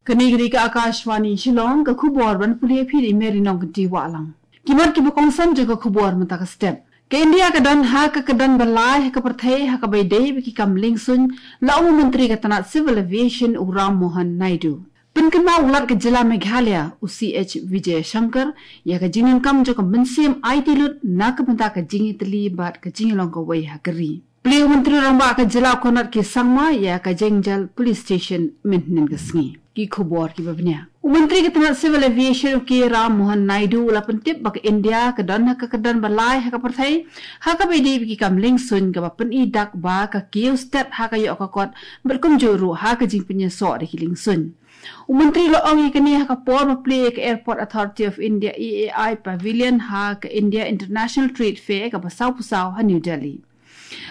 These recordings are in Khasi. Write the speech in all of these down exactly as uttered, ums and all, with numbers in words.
Kane ka dei ka Akashvani Shillong, ka khubor ban pule phi da i Mary Nongkynti Wahlang. Ki mat kiba kongsan jong ka khubor mynta ka step. Ka India ka don ha ka kyrdan ba lai ha ka pyrthei ha kaba ïadei bad ki kam liengsuiñ, la ong u Myntri ka tnat Civil Aviation u Ram Mohan Naidu. Pynkynmaw u Lat ka jylla Meghalaya u C H Vijayashankar ïa ka jingdonkam jong ka mynsiem aiti lut na ka bynta ka jingïatylli bad ka jingïalong kawei ha ka ri. Plie u Myntri Rangbah ka jylla u Conrad K Sangma ïa ka Jengjal Police Station mynhynnin ka sngi. Ki khubor kiba bniah. U Myntri ka tnat Civil Aviation u K Ram Mohan Naidu u la pyntip ba ka India ka don ha ka kyrdan ba lai ha ka pyrthei ha kaba ïadei bad ki kam liengsuiñ, kaba pyni dak ba ka kiew stet ha ka ïoh ka kot bad kumjuh ruh ha ka jingpynïasoh da ki liengsuiñ. U Myntri u la ong ïa kane ha ka por ba plie ïa ka Airport Authority of India, A A I, Pavilion ha ka India International Trade Fair kaba sawphew saw ha New Delhi.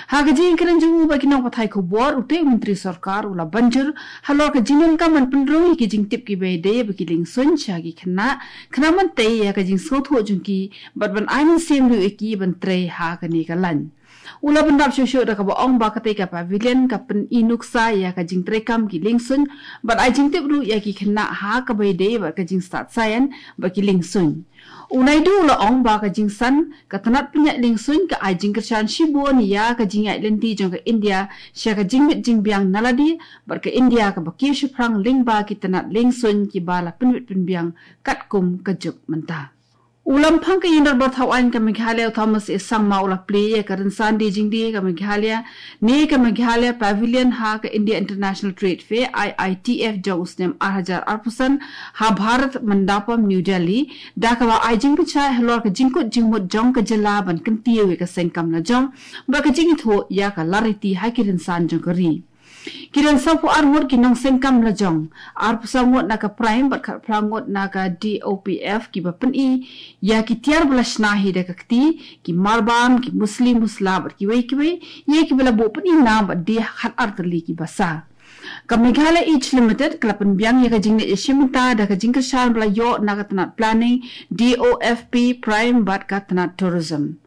Ha ka jingkren jong u bad ki nongpathai khubor, utei u Myntri Sorkar u la ban jur halor ka jingdonkam ban pynrung ïa ki jingtip kiba ïadei bad ki liengsuiñ sha ki khynnah, khnang ban tei ïa ka jingsngewthuh jong ki bad ban ai mynsiem ruh ïa ki ban trei ha kane ka lain. U la bynrap shuh shuh da kaba ong ba katei ka pavilion ka pyni nuksa ïa ka jingtreikam ki liengsuiñ bad ai jingtip ruh ïa ki khynnah ha kaba ïadei bad ka jingstad science bad ki liengsuiñ. U Naidu u la ong ba ka jingsan ka tnat pynïaid liengsuiñ ka ai jingkyrshan shibun ïa ka jingïaid lynti jong ka India sha ka jingmit jingbiang na lade bad ka India kaba kiew shaphrang lyngba ki tnat liengsuiñ kiba la pynwit pynbiang katkum ka juk mynta. U Lamphang ka Ïingdorbar Thawaiñ ka Meghalaya u Thomas A Sangma u la plie ïa ka rynsan die jingdie ka Meghalaya ne ka Meghalaya Pavilion ha ka India International Trade Fair, I I T F, jong u snem ar hajar arphew san ha Bharat Mandapam, New Delhi, da kaba ai jingpynshai halor ka jingkut jingmut jong ka jylla ban kyntiew ïa ka seng kam lajong bad ka jingithuh ïa ka lariti ha ki rynsan jong ka ri. Ki don sawphew ar ngut ki nongseng kam lajong, arphew saw ngut na ka Prime bad khatphra ngut na ka D O P F kiba pyni ïa ki tiar ba la shna hi da ka kti, ki marbam, ki musli musla bad kiwei kiwei, ïa kiba la buh pyni nam bad die khatar tylli ki basa. Ka Meghalaya Eats Limited ka la pynbiang ïa ka jingleit ïashim bynta da ka jingkyrshan ba la ïoh na ka tnat Planning, D O F P, Prime bad ka tnat Tourism.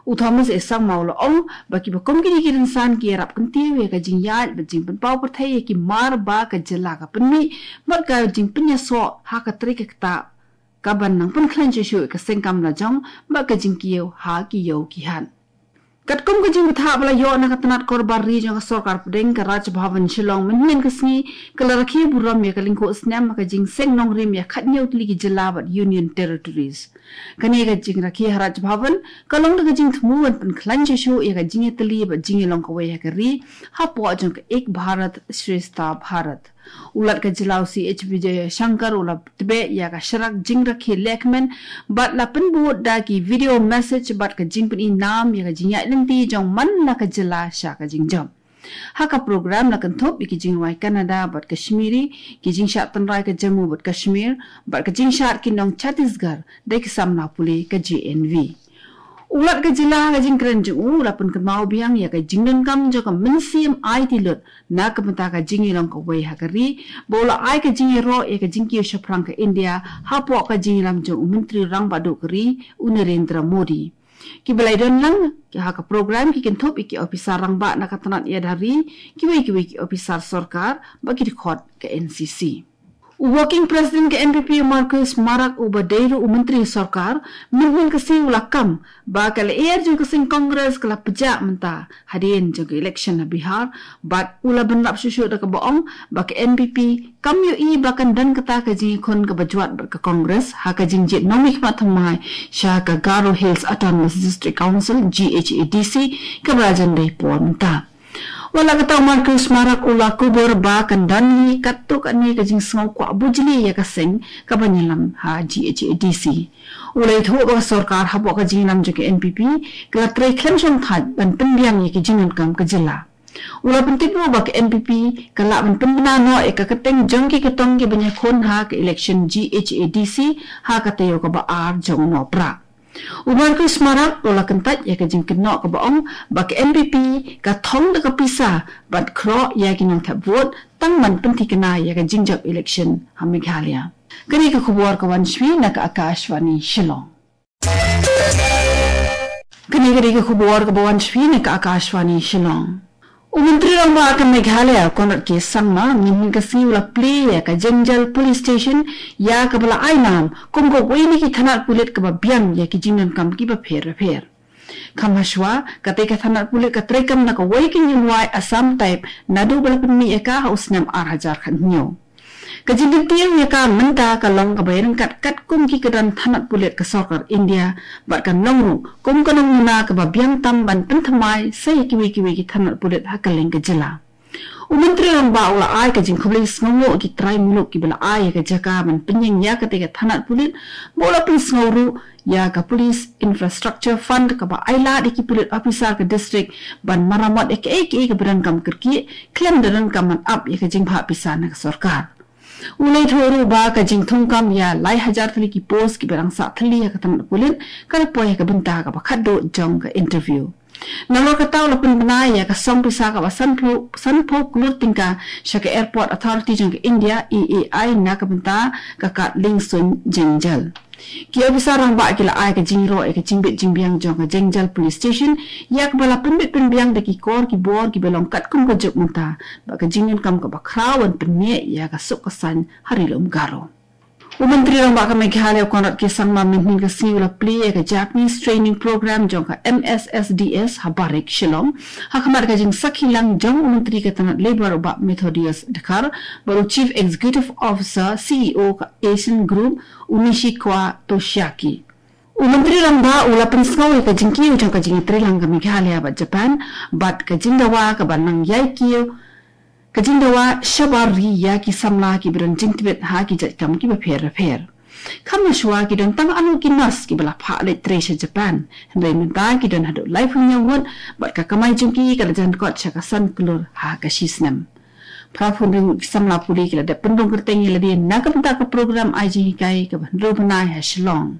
U Thomas A Sangma u la ong ba kiba kum kine ki rynsan ki ïarap kyntiew ïa ka jingïaid bad jingpynpaw pyrthei ïa ki mar ba ka jylla ka pynmih bad ka jingpynïasoh ha ka trei ka ktah kaban nang pynkhlaiñ shuh shuh ïa ka seng kam lajong bad ka jingkiew ha ki ïew ki hat. Katkum ka jingbthah ba la ïoh na ka tnat Korbar Ri jong ka Sorkar Pdeng, ka Raj Bhavan Shillong mynhynnin ka sngi ka la rakhe burom ïa ka lyngkhuh snem ha ka jingseng nongrim ïa khathynñiew tylli ki jylla bad Union Territories. Kane ka jingrakhe ha Raj Bhavan ka long da ka jingthmu ban pynkhlaiñ shuh shuh ïa ka jingïatylli bad jingïalong kawei ha ka ri hapoh jong ka Ek Bharat Shreshtha Bharat. U Lat ka jylla u C H Vijayashankar u la tbeh ïa ka sharak jingrakhe lehkmen bad la pynbud da ki video message bad ka jingpyni nam ïa ka jingïaid lynti jong man la ka jylla sha ka jingjop. Ha ka program la kynthup ïa ki jingrwai Kannada bad Kashmiri, ki jingshad tynrai ka Jammu bad Kashmir bad ka jingshad ki nong Chhattisgarh da ki samla pule ka J N V. U Lat ka jylla ha ka jingkren jong u u la pynkynmaw biang ïa ka jingdonkam jong ka mynsiem aiti lut na ka bynta ka jingïalong kawei ha ka ri, ba u la ai ka jingïaroh ïa ka jingkiew shaphrang ka India hapoh ka jingïalam jong u Myntri Rangbah Duh ka ri u Narendra Modi. Kiba la ïadon lang ha ka program ki kynthup ïa ki ophisar rangbah na ka tnat ïada ri, kiwei kiwei ki ophisar sorkar bad ki dkhot ka N C C. U Working President ka N P P u Marcuise Marak uba dei ruh u Myntri Sorkar, mynhynnin ka sngi u la kam ba ka lyer jong ka seng Congress ka la pjah mynta hadien jong ka election ha Bihar, bad u la bynrap shuh shuh da kaba ong ba ka N P P kam ïohi ba kan don kata ka jingïakhun kaba jwat bad ka Congress ha ka jingjied nongmihkhmat thymmai sha ka Garo Hills Autonomous District Council, G H A D C, kaba la jan dei por mynta. Wat la katta u Marcuise Marak u la kubur ba kan don hi katto katne ka jingsngew kwah bujli ïa ka seng kaban ïalam ha G H A D C. U la ïathuh ba ka sorkar hapoh ka jingïalam jong ka N P P ka la trei khlem shongthait ban pynbiang ïa ki jingdonkam ka jylla. U la pyntip ruh ba ka N P P ka lah ban pynbna noh ïa ka kyrteng jong ki kyrtong kiban ïakhun ha ka election G H A D C ha ka taïew kaba ar jong u Nohprah. U Marcuise Marak u la kyntait ïa ka jingkynnoh kaba ong ba ka N P P ka thong da ka pisa bad khroh ïa ki nongthep vote tang ban pynthikna ïa ka jingjop election ha Meghalaya. Kane ka khubor ka wan sha phi na ka Akashvani Shillong. Kane ka dei ka khubor kaba wan sha phi na ka Akashvani Shillong. U Myntri Rangbah ka Meghalaya, Conrad K Sangma, mynhynnin ka sngi u la plie ïa ka Jengjal Police Station, ïa kaba la ai nam kum kawei na ki thanat pulit kaba biang ïa ki jingdonkam kiba pher bapher. Kham hashwa, katei ka thanat pulit ka treikam na kawei ka union wai Assam type naduh ba la pynmih ïa ka ha u snem ar hajar khathynñiew. Ka jingkyntiew ïa ka mynta ka long kaba ïaryngkat katkum ki kyrdan thanat pulit ka sorkar India, bad kan long ruh kum ka nongmuna kaba biang tam ban pynthymmai sa ïa kiwei kiwei ki thanat pulit ha kylleng ka jylla. U Myntri Rangbah u la ai ka jingkhublei sngewnguh ïa ki trai muluk kiba la ai ïa ka jaka ban pynïeng ïa katei ka thanat pulit, bad u la pynsngew ruh ïa ka Police Infrastructure Fund kaba ai lad ïa ki pulit officer ka district ban maramot ïa kaei kaei kaba donkam kyrkieh, khlem da donkam ban ap ïa ka jingbha pisa na ka sorkar. U la ïathuh ruh ba ka jingthungkam ïa lai hajar tylli ki post kiba dang sah thylli ha ka thanat pulit ka la poi ha ka bynta kaba khatduh jong ka interview. Nalor kata u la pynbna ïa ka song pisa kaba sanphew, sanphew klur tyngka sha ka Airport Authority jong ka India, A A I, na ka bynta ka kad liengsuiñ jengjal. Ki officer rangbah ki la ai ka jingïaroh ïa ka jingbit jingbiang jong ka Jengjal Police Station, ïa kaba la pynbit pynbiang da ki kor ki bor kiba long katkum ka juk mynta, bad ka jingdonkam kaba khraw ban pynïeng ïa ka suk ka saiñ ha Ri Lum Garo. U Myntri Rangbah ka Meghalaya, Conrad K Sangma, mynhynnin ka sngi u la plie ïa ka Japanese Training Program jong ka M S S D S ha Barik, Shillong, ha khmat ka jingsakhi lang jong u Myntri ka tnat Labour u Bah Methodius Dkhar, bad u Chief Executive Officer, C E O ka Asian Group, u Nishikawa Toshiaki. U Myntri Rangbah u la pynsngew ïa ka jingkiew jong ka jingïatreilang ka Meghalaya bad Japan, bad ka jingdawa kaba nang ïai kiew, ka jingdawa shabar ri ïa ki samla kiba don jingtbit ha ki jait kam kiba pher bapher. Kham hashwa ki don tang arngut ki nurse kiba la phah leit trei sha Japan, hynrei mynta ki don haduh laiphew hynñiew ngut, bad ka kamai jong ki ka la jan kot sha ka san klur ha ka shi snem. Phra phew hynriew ngut ki samla pule ki la dep pynrung kyrteng ïa lade na ka bynta ka program ai jinghikai kaba hynriew bnai ha Shillong.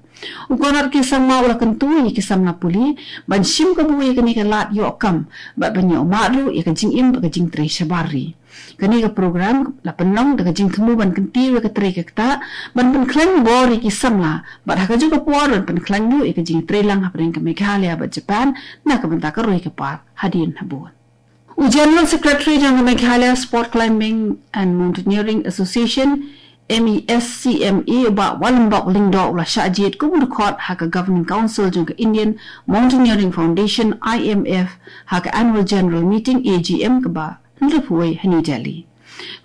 U Conrad K Sangma u la kyntu ïa ki samla pule ban shim kabu ïa kane ka lad ïoh kam, bad ban ïoh mad ruh ïa ka jingim bad ka jingtrei shabar ri. Kane ka program la pynlong da ka jingthmu ban kyntiew ïa ka trei ka ktah, ban pynkhlaiñ bor ïa ki samla, bad ha kajuh ka por ban pynkhlaiñ ruh ïa ka jingtreilang hapdeng ka Meghalaya bad Japan na ka bynta ka roi ka par hadien habud. U General Secretary jong ka Meghalaya Sport Climbing and Mountaineering Association, M E S C M A, u Bah Wallenbok Lyngdoh, u la shah jied kum u dkhot ha ka Governing Council jong ka Indian Mountaineering Foundation, I M F, ha ka Annual General Meeting, A G M, kaba hynriewphew wei ha New Delhi.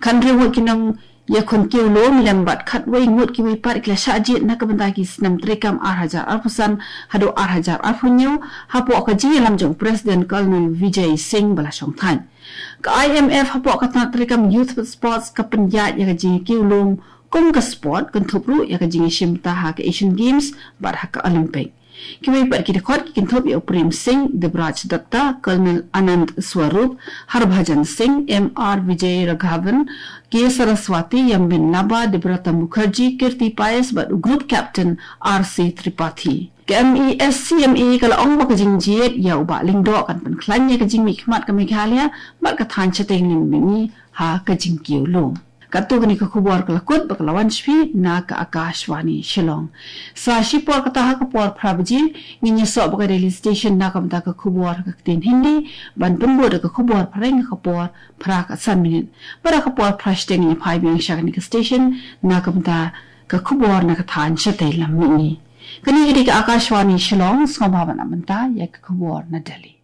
Khathynriew ngut ki nong ïakhun kiew lum lem bad khatwei ngut kiwei pat ki la shah jied na ka bynta ki snem treikam ar hajar arphew san haduh ar hajar arphew hynñiew, hapoh ka jingïalam jong u President Colonel Vijay Singh ba la shongthait. Ka I M F hapoh ka tnat treikam Youth with Sports ka pynïaid ïa ka jingkiew lum kum ka sport, kynthup ruh ïa ka jingïashim bynta ha ka Asian Games bad ha ka Olympic. Kiwei pat ki dkhot ki kynthup ïa u Prem Singh, Debraj Dutta, Colonel Anand Swarup, Harbhajan Singh, M R Vijay Raghavan, K Saraswati, Yambin Lamba, Debrata Mukherjee, Kirti Pais bad u Group Captain R C Tripathi. Ka M E S C M A ka la ong ba ka jingjied ïa u Bah Lyngdoh kan pynkhlaiñ ïa ka jingmihkhmat ka Meghalaya bad ka thaiñ shatei lam mihngi ha ka jingkiew lum. Katto katne ka khubor ka la kut bad ka la wan sha phi na ka Akashvani Shillong. Sa shipor kata ha ka por phra baje ngin ïasoh bad ka Delhi Station na ka bynta ka khubor ha ka ktien Hindi, ban pynbud da ka khubor phareng ha ka por phra ka san minit. Bad ha ka por phra shiteng ngin ïa phai biang sha kane ka station na ka bynta ka khubor na ka thaiñ shatei lam mihngi. Kane ka dei ka Akashvani Shillong, sngewbha ban ap mynta ïa ka khubor na Delhi.